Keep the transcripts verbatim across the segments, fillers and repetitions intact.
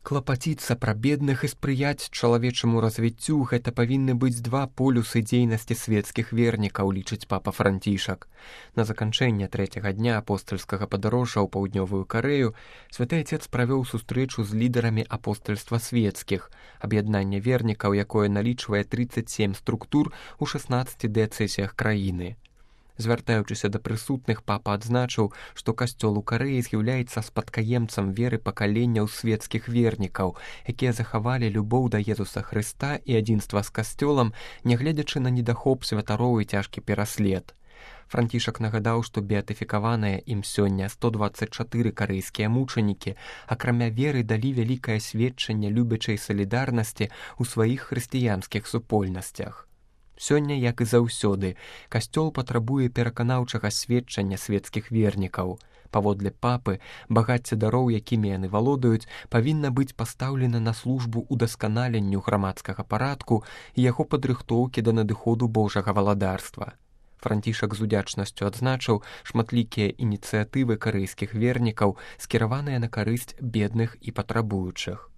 Клапаціцца пра бедных і спрыяць чалавечаму развіццю — гэта павінны быць два полюсы дзейнасці свецкіх вернікаў, лічыць папа Францішак. На заканчэнне трэцяга дня апостальскага падарожжа ў паўднёвую Карэю святы Отец правёў сустрэчу з лідарамі апостальства свецкіх, аб'яднання вернікаў, якое налічвае трыццаць сем структур у шаснаццаці дыяцэзіях краіны. Звяртаючыся да прысутных, папа адзначыў, што касцёл у Карэі з'яўляецца спадкаемцам веры пакаленняў свецкіх вернікаў, якія захавалі любоў да Езуса Хрыста і адзінства з касцёлам, нягледзячы на недахоп святароў і цяжкі пераслед. Францішак нагадаў, што беатыфікаваныя ім сёння сто дваццаць чатыры карэйскія мучанікі, акрамя веры, далі вялікае сведчанне любячай салідарнасці ў сваіх хрысціянскіх супольнасцях. Сёння, як і заўсёды, касцёл патрабуе пераканаўчага сведчання свецкіх вернікаў. Паводле папы, багацце дароў, якімі яны валодаюць, павінна быць пастаўлена на службу ўдасканаленню грамадскага парадку і яго падрыхтоўкі да надыходу Божага валадарства. Францішак з удзячнасцю адзначыў шматлікія ініцыятывы карэйскіх вернікаў, скіраваныя на карысць бедных і патрабуючых.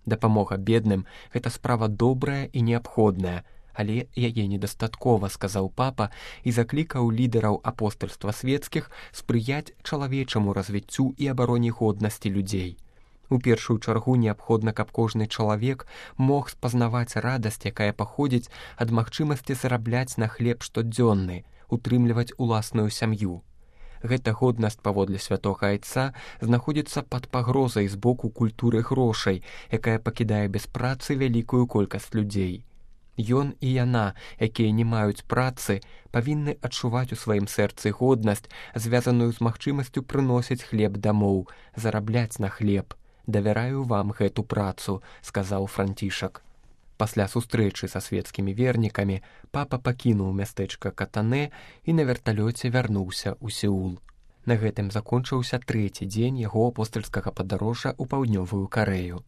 Дапамога бедным — гэта справа добрая і неабходная, але яе недастаткова, сказаў папа і заклікаў лідараў апостальства свецкіх спрыяць чалавечаму развіццю і абароне годнасці людзей. У першую чаргу неабходна, каб кожны чалавек мог спазнаваць радасць, якая паходзіць ад магчымасці зарабляць на хлеб штодзённы, утрымліваць уласную сям'ю. Гэта годнасць, паводле святога Айца, знаходзіцца пад пагрозай з боку культуры грошай, якая пакідае без працы вялікую колькасць людзей. Ён і яна, якія не маюць працы, павінны адчуваць у сваім сэрцы годнасць, звязаную з магчымасцю прыносіць хлеб дамоў, зарабляць на хлеб. Давяраю вам гэту працу, сказаў Францішак. Пасля сустрэчы са свецкімі вернікамі папа пакінуў мястэчка Катанэ і на верталёце вярнуўся ў Сеул. На гэтым закончыўся трэці дзень яго апостальскага падарожжа ў паўднёвую Карэю.